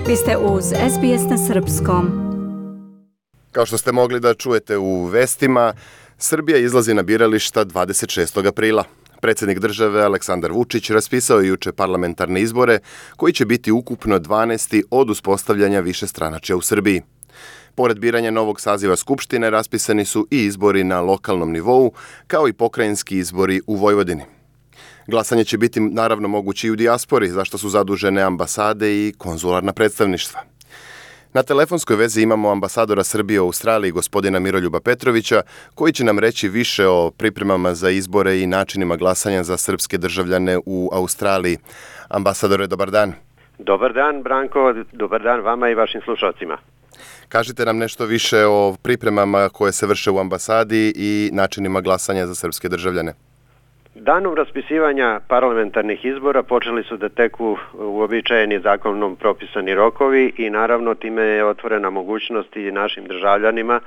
Vi ste uz SBS na Srpskom. Kao što ste mogli da čujete u vestima, Srbija izlazi na birališta 26. aprila. Predsjednik države Aleksandar Vučić raspisao je juče parlamentarne izbore, koji će biti ukupno 12. od uspostavljanja višestranačja u Srbiji. Pored biranja novog saziva Skupštine, raspisani su i izbori na lokalnom nivou, kao i pokrajinski izbori u Vojvodini. Glasanje će biti naravno moguće i u dijaspori, za što su zadužene ambasade i konzularna predstavništva. Na telefonskoj vezi imamo ambasadora Srbije u Australiji, gospodina Miroljuba Petrovića, koji će nam reći više o pripremama za izbore i načinima glasanja za srpske državljane u Australiji. Ambasadore, dobar dan. Dobar dan, Branko. Dobar dan vama i vašim slušalcima. Kažite nam nešto više o pripremama koje se vrše u ambasadi i načinima glasanja za srpske državljane. Danom raspisivanja parlamentarnih izbora počeli su da teku uobičajeni zakonom propisani rokovi i naravno time je otvorena mogućnost i našim državljanima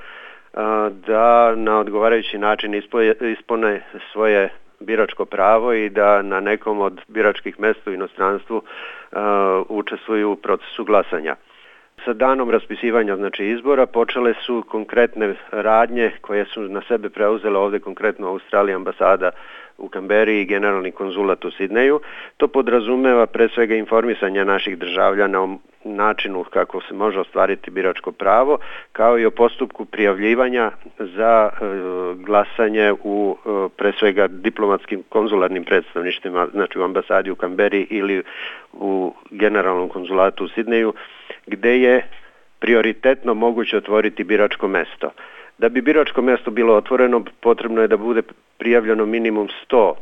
da na odgovarajući način ispune svoje biračko pravo i da na nekom od biračkih mesta u inostranstvu učestvuju u procesu glasanja. Sa danom raspisivanja izbora počele su konkretne radnje koje su na sebe preuzele ovdje konkretno Australija, ambasada u Kamberi i generalni konzulat u Sidneju. To podrazumeva pre svega informisanje naših državljana o načinu kako se može ostvariti biračko pravo, kao i o postupku prijavljivanja za glasanje u pre svega diplomatskim konzularnim predstavništvima, znači u ambasadi u Kamberi ili u generalnom konzulatu u Sidneju, gde je prioritetno moguće otvoriti biračko mesto. Da bi biračko mesto bilo otvoreno, potrebno je da bude prijavljeno minimum 100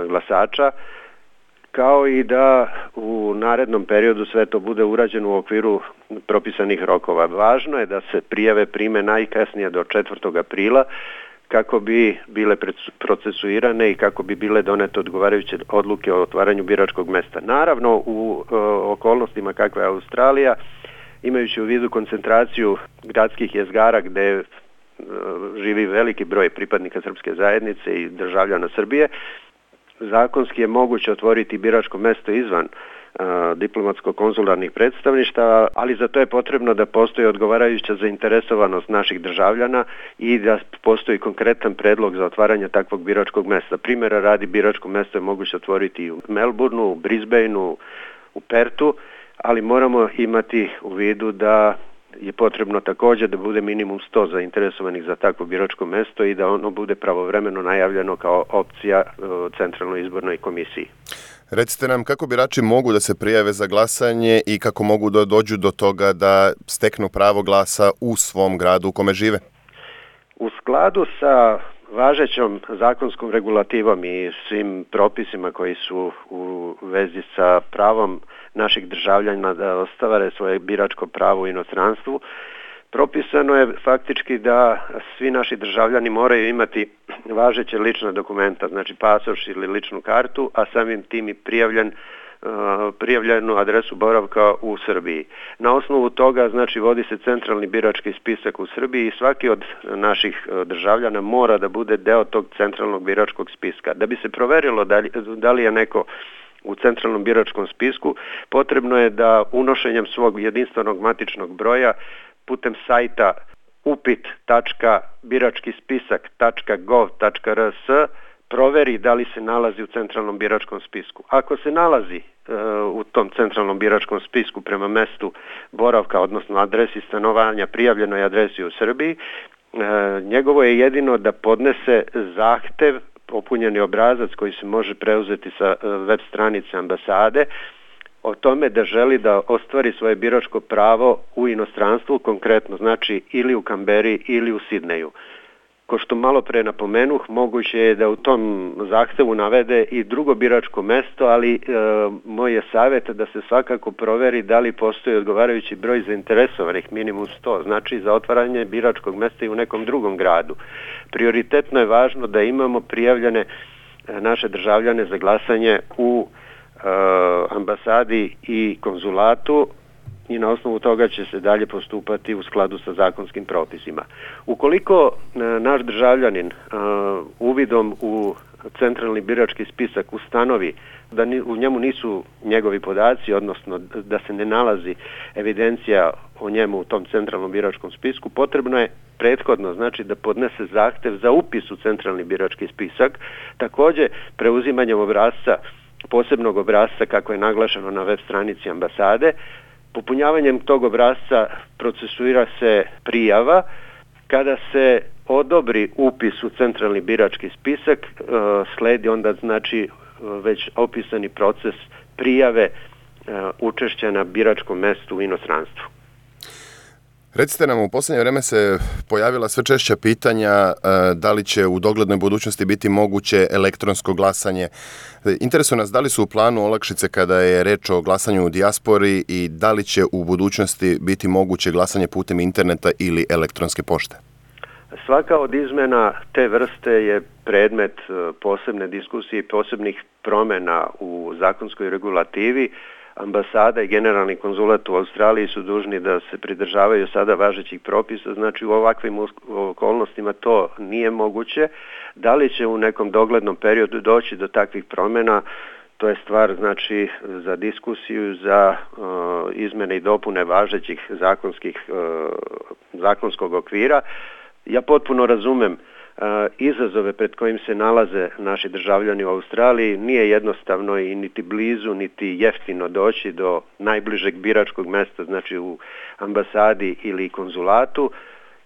glasača, kao i da u narednom periodu sve to bude urađeno u okviru propisanih rokova. Važno je da se prijave prime najkasnije do 4. aprila kako bi bile procesuirane i kako bi bile donete odgovarajuće odluke o otvaranju biračkog mesta. Naravno, u okolnostima kakva je Australija, imajući u vidu koncentraciju gradskih jezgara gde živi veliki broj pripadnika srpske zajednice i državljana Srbije, zakonski je moguće otvoriti biračko mesto izvan diplomatsko-konzularnih predstavništava, ali za to je potrebno da postoji odgovarajuća zainteresovanost naših državljana i da postoji konkretan predlog za otvaranje takvog biračkog mesta. Primjera radi, biračko mesto je moguće otvoriti i u Melbourneu, u Brisbaneu, u Pertu, ali moramo imati u vidu da je potrebno također da bude minimum 100 zainteresovanih za takvo biračko mesto i da ono bude pravovremeno najavljeno kao opcija Centralnoj izbornoj komisiji. Recite nam kako birači mogu da se prijave za glasanje i kako mogu da dođu do toga da steknu pravo glasa u svom gradu u kome žive? U skladu sa važećom zakonskom regulativom i svim propisima koji su u vezi sa pravom naših državljana da ostvare svoje biračko pravo u inostranstvu, propisano je faktički da svi naši državljani moraju imati važeće lična dokumenta, znači pasoš ili ličnu kartu, a samim tim i prijavljenu adresu boravka u Srbiji. Na osnovu toga, znači, vodi se centralni birački spisak u Srbiji i svaki od naših državljana mora da bude deo tog centralnog biračkog spiska. Da bi se proverilo da li je neko u centralnom biračkom spisku, potrebno je da unošenjem svog jedinstvenog matičnog broja putem sajta upit.biračkispisak.gov.rs proveri da li se nalazi u centralnom biračkom spisku. Ako se nalazi u tom centralnom biračkom spisku prema mestu boravka, odnosno adresi stanovanja, prijavljenoj adresi u Srbiji, njegovo je jedino da podnese zahtev, popunjeni obrazac koji se može preuzeti sa web stranice ambasade, o tome da želi da ostvari svoje biračko pravo u inostranstvu, konkretno znači ili u Kamberi ili u Sidneju. Ko što malo pre napomenuh, moguće je da u tom zahtevu navede i drugo biračko mesto, ali moj je savjet da se svakako proveri da li postoji odgovarajući broj zainteresovanih, minimum 100, znači za otvaranje biračkog mesta i u nekom drugom gradu. Prioritetno je važno da imamo prijavljene naše državljane za glasanje u ambasadi i konzulatu i na osnovu toga će se dalje postupati u skladu sa zakonskim propisima. Ukoliko naš državljanin uvidom u centralni birački spisak ustanovi da u njemu nisu njegovi podaci, odnosno da se ne nalazi evidencija o njemu u tom centralnom biračkom spisku, potrebno je prethodno, znači, da podnese zahtev za upis u centralni birački spisak. Također, preuzimanjem obrasca, posebnog obrasca kako je naglašeno na web stranici ambasade, popunjavanjem tog obrasca procesuira se prijava. Kada se odobri upis u centralni birački spisak, sledi onda, znači, već opisani proces prijave učešća na biračkom mestu u inostranstvu. Recite nam, u posljednje vreme se pojavila sve češća pitanja da li će u doglednoj budućnosti biti moguće elektronsko glasanje. Interesuje nas da li su u planu olakšice kada je reč o glasanju u dijaspori i da li će u budućnosti biti moguće glasanje putem interneta ili elektronske pošte? Svaka od izmena te vrste je predmet posebne diskusije i posebnih promjena u zakonskoj regulativi. Ambasada i generalni konzulat u Australiji su dužni da se pridržavaju sada važećih propisa, znači u ovakvim okolnostima to nije moguće. Da li će u nekom doglednom periodu doći do takvih promjena, to je stvar, znači, za diskusiju, za izmjene i dopune važećih zakonskog okvira. Ja potpuno razumem izazove pred kojim se nalaze naši državljani u Australiji. Nije jednostavno i niti blizu, niti jeftino doći do najbližeg biračkog mesta, znači u ambasadi ili konzulatu,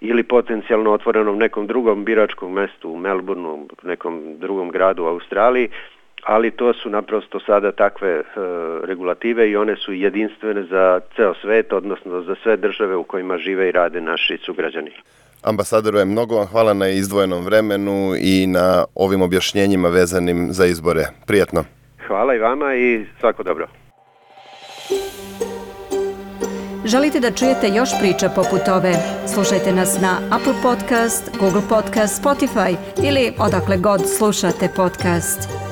ili potencijalno otvorenom nekom drugom biračkom mestu u Melbourneu, nekom drugom gradu u Australiji, ali to su naprosto sada takve regulative i one su jedinstvene za ceo svet, odnosno za sve države u kojima žive i rade naši sugrađani. Ambasadoru, mnogo vam hvala na izdvojenom vremenu i na ovim objašnjenjima vezanim za izbore. Prijatno. Hvala i vama i svako dobro. Želite da čujete još priča poput ove? Slušajte nas na Apple Podcast, Google Podcast, Spotify ili odakle god slušate podcast.